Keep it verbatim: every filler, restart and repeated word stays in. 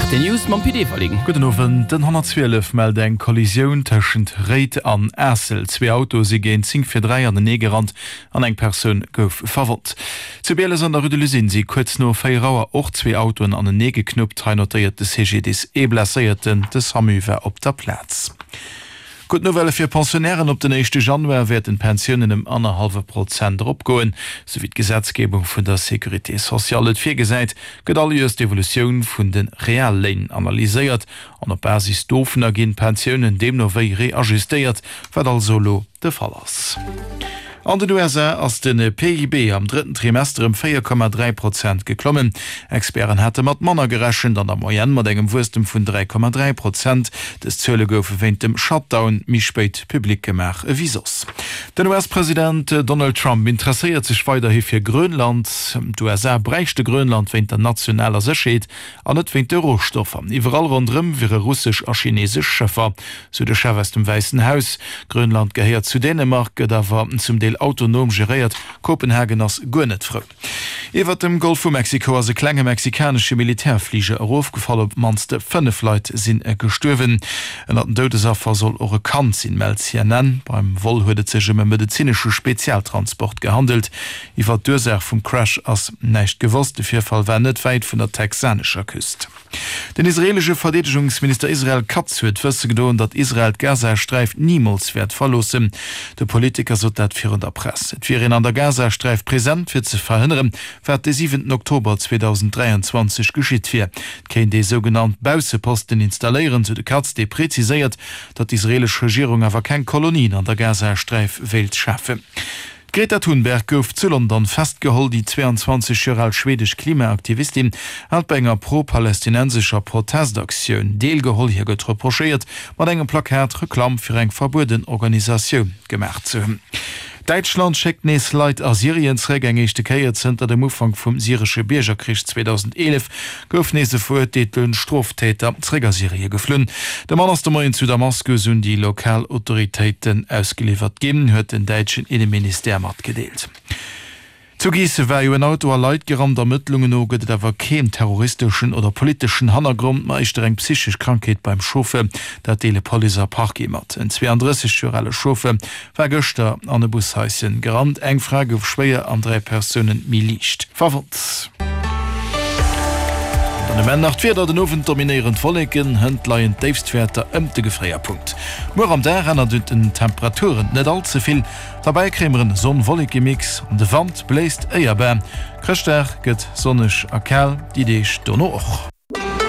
R T L News mam Pit Everling. Gudden Owend. Den honnertzwielef mellt eng Kollisioun tëschent Réid an Aassel. Zwee Autoe si géint zéng vir dräi anenee gerannt an eng Persoun gouf verwonnt. Zu Bieles an der Rue de l'Usine si kuerz no véier Auer och zwee Autoen anenee geknuppt. Hei notéiert de C G D I S ee Blesséierten. De SAMU war op der Plaz. Gutt Nouvelle fir Pensionnairen, Op den éischte Januar wäerten d'Pensiounen ëm annerhallwe Prozent eropgoen. Sou wéi d'Gesetzgebung vun der Sécurité sociale et virgesäit, gëtt all Joers d'Evolutioun vun de Realléin analyséiert an op Basis dovunner ginn d'Pensiounen deemno wéi reajustéiert, wat also elo de Fall ass. An den U S A ass de P I B am drëtten Trimester ëm véier Komma dräi Prozent geklommen. Experten hate mat manner gerechent, an der Moyenne mat engem Wuesstem vun dräi Komma dräi Prozent. Dës Zuele goufe wéint dem Shutdown méi spéit public gemaach ewéi soss. Den U S-President Donald Trump interesséiert sech weiderhi fir Grönland. D'U S A bräichte Grönland wéint der nationaler Sécherheet an net wéint de Rohstoffer. Iwwerall ronderëm wiere russesch a chineesesch Schëffer, sou de Chef aus dem Wäissen Haus. Grönland gehéiert zu Dänemark, gëtt awer zum Deel autonom geréiert. Kopenhagen ass guer net frou. Iwwer dem Golf vu Mexiko ass e klenge mexikanesche Militärfliger erofgefall. Op d'mannst fënnef Leit si gestuerwen. Ënner den Doudesaffer soll och e Kand sinn, mellt C N N. Beim Vol huet et sech ëm e medezinesche Spezialtransport gehandelt. Iwwer d'Ursaach vum Crash ass näischt gewosst. De Virfall war net wäit vun der texanescher Küst. Den israeelesche Verdeedegungsminister Israel Katz huet wësse gedoen, datt Israel d'Gazasträif nimools wäert verloossen. De Politiker sot dat virun der Press. Et wier een an der Gazasträif present, fir ze verhënneren, wat de siwenten Oktober zweedausend dräianzwanzeg geschitt wier. Et kéint ee sougenannt Bausseposten installéieren, sou de Katz, dee preziséiert, datt d'israeelesch Regierung awer keng Kolonien an der Gazasträif wéilt schafen. D'Greta Thunberg gouf zu London festgeholl. Déi zwéianzwanzeg Joer al schwedesch Klimaaktivistin hat bei enger pro-palästinensescher Protestaktioun deelgeholl. Hir gëtt reprochéiert, mat engem Plakat Reklamm fir eng verbueden Organisatioun gemaach ze hunn. Däitschland schéckt nees Leit a Syrien zeréck. Eng éischte Kéier zënter dem Ufank vum syresche Biergerkrich zweedausendeenef gouf nees e verurteelte Stroftäter zeréck a Syrie geflunn. De Mann ass de Moien zu Damaskus un déi lokal Autoritéiten ausgeliwwert ginn, huet den däitschen Inneministère matgedeelt. Zu Biissen war jo en Auto a Leit gerannt. Ermëttlungen no gëtt et awer keen terroristeschen oder politeschen Hannergrond, ma éischter eng psychesch Krankheet beim Chauffeur. Dat deele Police a Parquet mat. En zweeandrësseg Joer ale Chauffeur war gëschter an e Bushaischen gerannt. Eng Fra gouf schwéier an dräi Persoune méi liicht verwonnt. Dann um Enn nach d'Wieder, Den Owend dominéieren d'Wolleken, hënt leien d'Déifstwäerter ëm de Gefréierpunkt. Muer am Dag ännert un den Temperaturen net all ze vill, derbäi kréie mer en Sonn-Wolleke-Mix an de Wand bléist éierbar. Chrëschtdag gëtt sonneg a kal, déi Deeg dono och.